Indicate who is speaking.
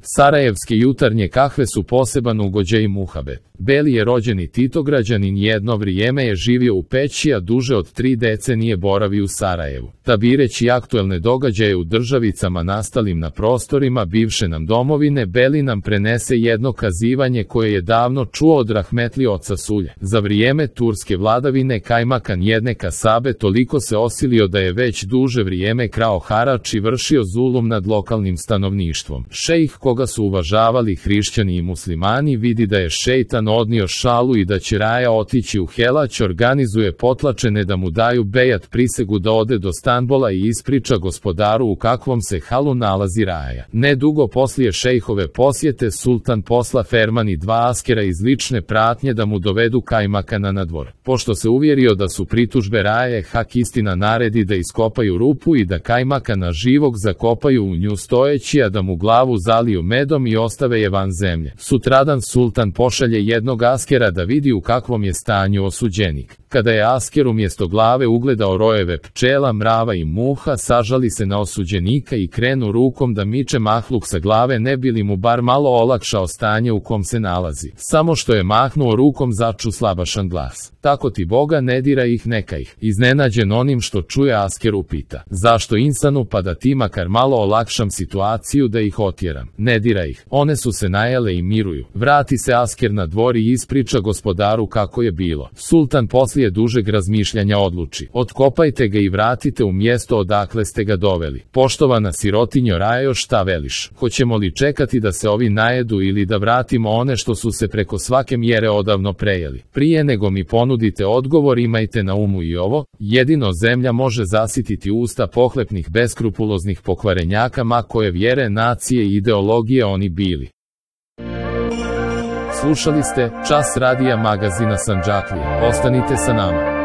Speaker 1: Sarajevske jutarnje kahve su poseban ugođaj muhabet. Beli je rođeni Titograđanin, jedno vrijeme je živio u Peći, a duže od 3 decenije boravi u Sarajevu. Tabireći aktuelne događaje u državicama nastalim na prostorima bivše nam domovine, Beli nam prenese jedno kazivanje koje je davno čuo od rahmetli oca Sulje. Za vrijeme turske vladavine kajmakan jedne kasabe toliko se osilio da je već duže vrijeme krao harač i vršio zulum nad lokalnim stanovništvom. Šejh, koga su uvažavali hrišćani i muslimani, vidi da je šejtan odnio šalu i da će raja otići u helać, organizuje potlačene da mu daju bejat prisegu da ode do Stanbola i ispriča gospodaru u kakvom se halu nalazi raja. Nedugo poslije šejhove posjete, sultan posla Ferman i 2 askera iz lične pratnje da mu dovedu kajmakana na dvor. Pošto se uvjerio da su pritužbe raje, Hak istina naredi da iskopaju rupu i da kajmakana živog zakopaju u nju stojeći, a da mu glavu zaliju medom i ostave je van zemlje. Sutradan sultan pošalje jednog askera da vidi u kakvom je stanju osuđenik. Kada je asker umjesto glave ugledao rojeve pčela, mrava i muha, sažali se na osuđenika i krenu rukom da miče mahluk sa glave, ne bi li mu bar malo olakšao stanje u kom se nalazi. Samo što je mahnuo rukom, začu slabašan glas: "Tako ti Boga, ne dira ih, neka ih." Iznenađen onim što čuje, asker upita: "Zašto insanu, pa da ti makar malo olakšam situaciju da ih otjeram." "Ne dira ih, one su se najele i miruju." Vrati se asker na dvor i ispriča gospodaru kako je bilo. Sultan poslije dužeg razmišljanja odluči: "Otkopajte ga i vratite u mjesto odakle ste ga doveli." "Poštovana sirotinjo Rajo, šta veliš? Hoćemo li čekati da se ovi najedu ili da vratimo one što su se preko svake mjere odavno prejeli? Prije nego mi ponudite odgovor, imajte na umu i ovo: jedino zemlja može zasititi usta pohlepnih beskrupuloznih pokvarenjaka, ma koje vjere, nacije i ideologije oni bili." Slušali ste Čas radija magazina Sandžaklije. Ostanite sa nama.